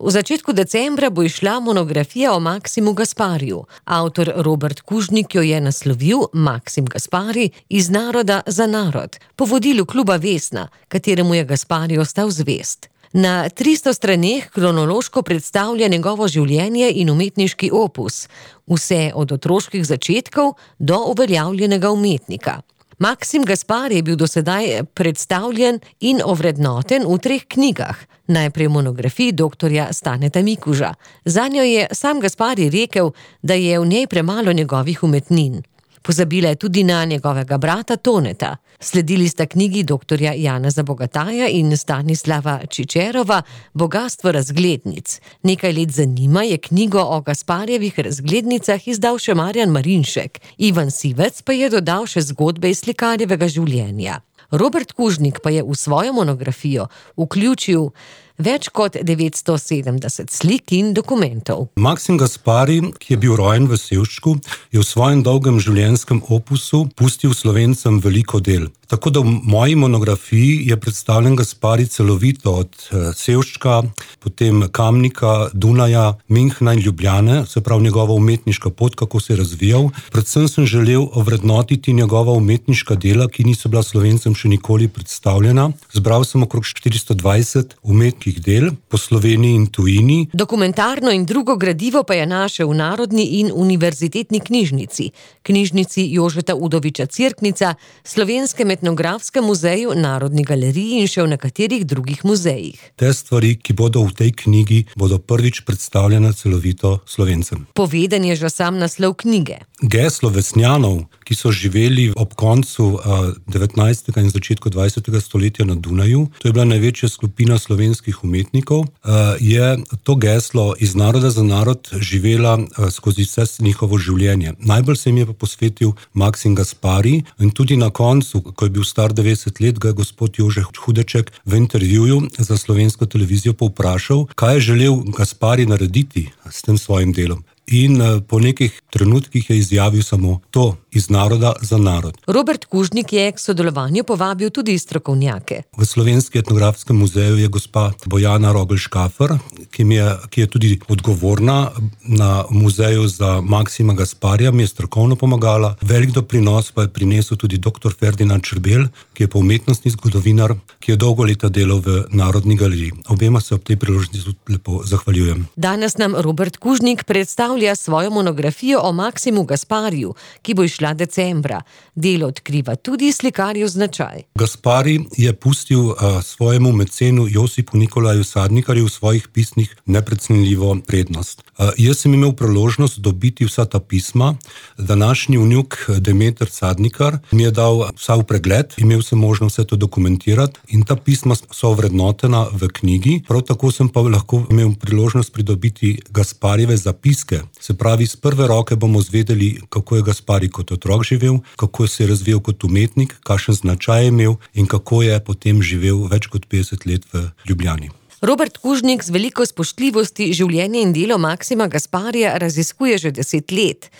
V začetku decembra bo izšla monografija o Maksimu Gaspariju. Avtor Robert Kužnik jo je naslovil Maksim Gaspari iz naroda za narod, po vodilu kluba Vesna, kateremu je Gaspari ostal zvest. Na 300 straneh kronološko predstavlja njegovo življenje in umetniški opus, vse od otroških začetkov do uveljavljenega umetnika. Maksim Gaspari je bil do sedaj predstavljen in ovrednoten v 3 knjigah. Najprej v monografiji doktorja Staneta Mikuža. Zanjo je sam Gaspari rekel, da je v njej premalo njegovih umetnin. Pozabila je tudi na njegovega brata Toneta. Sledili sta knjigi doktorja Janeza Bogataja in Stanislava Čičerova Bogastvo razglednic. Nekaj let za njima je knjigo o Gasparjevih razglednicah izdal še Marjan Marinšek. Ivan Sivec pa je dodal še zgodbe iz slikarjevega življenja. Robert Kužnik pa je v svojo monografijo vključil več kot 970 slik in dokumentov. Maksim Gaspari, ki je bil rojen v Sevščku, je v svojem dolgem življenjskem opusu pustil Slovencem veliko del. Tako da v moji monografiji je predstavljen Gaspari celovito od Sevščka, potem Kamnika, Dunaja, Münchna in Ljubljane, se pravi njegova umetniška pot, kako se je razvijal. Predvsem sem želel ovrednotiti njegova umetniška dela, ki niso bila Slovencem še nikoli predstavljena. Zbral sem okrog 420 umetniških del po Sloveniji in tujini. Dokumentarno in drugo gradivo pa je našel v Narodni in univerzitetni knjižnici, knjižnici Jožeta Udoviča Cirknica, Slovenskem etnografskem muzeju, Narodni galeriji in še v nekaterih drugih muzejih. Te stvari, ki bodo v tej knjigi, bodo prvič predstavljene celovito Slovencem. Poveden je že sam naslov knjige. Geslo Vesnjanov, ki so živeli ob koncu 19. in začetku 20. stoletja na Dunaju, to je bila največja skupina slovenskih umetnikov, je to geslo iz naroda za narod živela skozi vse njihovo življenje. Najbolj se jim je pa posvetil Maksim Gaspari in tudi na koncu, ko je bil star 90 let, ga je gospod Jože Hudeček v intervjuju za slovensko televizijo povprašal, kaj je želel Gaspari narediti s tem svojim delom. In po nekih trenutkih je izjavil samo to: iz naroda za narod. Robert Kužnik je k sodelovanju povabil tudi strokovnjake. V Slovenskem etnografskem muzeju je gospa Bojana Rogl-Škafer, ki je tudi odgovorna na muzeju za Maksima Gasparija, mi je strokovno pomagala. Velik doprinos pa je prinesel tudi dr. Ferdinand Črbel, ki je pa umetnostni zgodovinar, ki je dolgo leta delal v Narodni galeriji. Obema se ob tej priložnosti lepo zahvaljujem. Danes nam Robert Kužnik predstavlja svojo monografijo o Maksimu Gaspariju, ki bo išla decembra. Delo odkriva tudi slikarjev značaj. Gaspari je pustil svojemu mecenu Josipu Nikolaju Sadnikarju v svojih pismih neprecenljivo prednost. Jaz sem imel priložnost dobiti vsa ta pisma. Današnji vnuk Demeter Sadnikar mi je dal vsa v pregled, imel sem možnost vse to dokumentirati in ta pisma so ovrednotena v knjigi. Prav tako sem pa lahko imel priložnost pridobiti Gasparjeve zapiske. Se pravi, z prve roke bomo zvedeli, kako je Gaspari kot otrok živel, kako se je razvijal kot umetnik, kakšen značaj je imel in kako je potem živel več kot 50 let v Ljubljani. Robert Kužnik z veliko spoštljivosti življenje in delo Maksima Gasparija raziskuje že 10 let,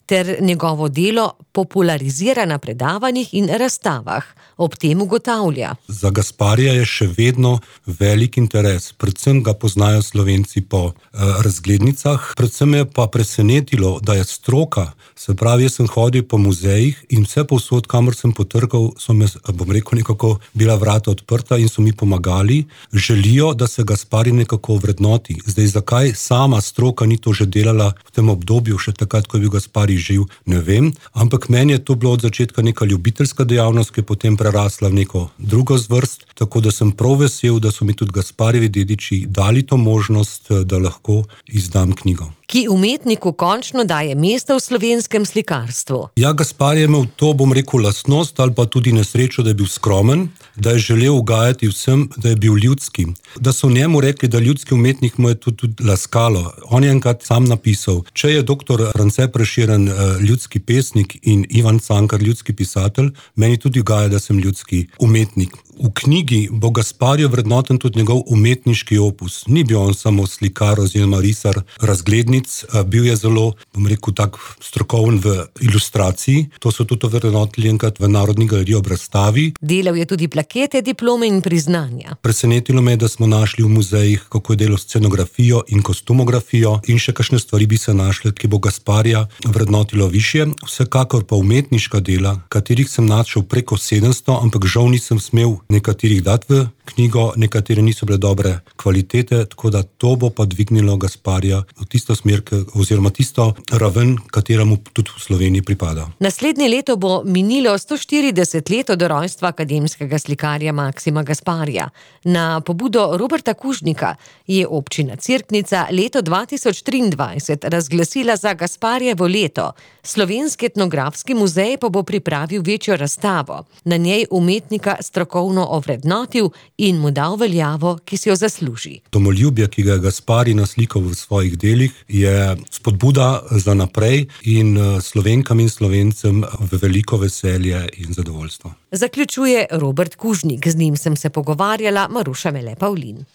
ter njegovo delo popularizira na predavanjih in razstavah. Ob tem ugotavlja: za Gasparija je še vedno velik interes, predvsem ga poznajo Slovenci po razglednicah, predvsem je pa presenetilo, da je stroka, se pravi, jaz sem hodil po muzejih in vse povsod, kamor sem potrkal, so me, bom rekel, nekako bila vrata odprta in so mi pomagali, želijo, da se Gaspari nekako vrednoti. Zdaj, zakaj sama stroka ni to že delala v tem obdobju, še takrat, ko je bil Gaspari živ, ne vem, ampak meni je to bilo od začetka neka ljubiteljska dejavnost, ki je potem prerasla v neko drugo zvrst, tako da sem prav vesel, da so mi tudi Gasparjevi dediči dali to možnost, da lahko izdam knjigo. Ki umetniku končno daje mesto v slovenskem slikarstvu. Ja, Gaspari je imel to, bom rekel, lastnost ali pa tudi nesrečo, da je bil skromen, da je želel ugajati vsem, da je bil ljudski. Da so njemu rekli, da ljudski umetnik mu je tudi laskalo. On je enkrat sam napisal: če je dr. France Prešeren ljudski pesnik in Ivan Cankar ljudski pisatelj, meni tudi ugaja, da sem ljudski umetnik. V knjigi bo Gasparjev vrednoten tudi njegov umetniški opus. Ni bil on samo slikar oziroma risar razglednic, bil je zelo, bom rekel, tak strokoven v ilustraciji. To so tudi vrednotili enkrat v Narodni galeriji ob razstavi. Delal je tudi plakete, diplome in priznanja. Presenetilo me je, da smo našli v muzejih, kako je delal scenografijo in kostumografijo, in še kakšne stvari bi se našle, ki bo Gasparija vrednotilo višje. Vsekakor pa umetniška dela, katerih sem našel preko 700, ampak žal nisem smel nekaterih dati v knjigo, nekatere niso bile dobre kvalitete, tako da to bo pa dvignilo Gasparija v tisto smer, oziroma tisto raven, kateremu tudi v Sloveniji pripada. Naslednje leto bo minilo 140 let od rojstva akademskega slikarja Maksima Gasparija. Na pobudo Roberta Kužnika je občina Cerknica leto 2023 razglasila za Gasparjevo leto. Slovenski etnografski muzej pa bo pripravil večjo razstavo. Na njej umetnika strokovno ovrednotil in mu dal veljavo, ki si jo zasluži. Domoljubje, ki ga je Gasparij naslikal v svojih delih, je spodbuda za naprej in Slovenkam in Slovencem v veliko veselje in zadovoljstvo. Zaključuje Robert Kužnik, z njim sem se pogovarjala Maruša Mele Pavlin.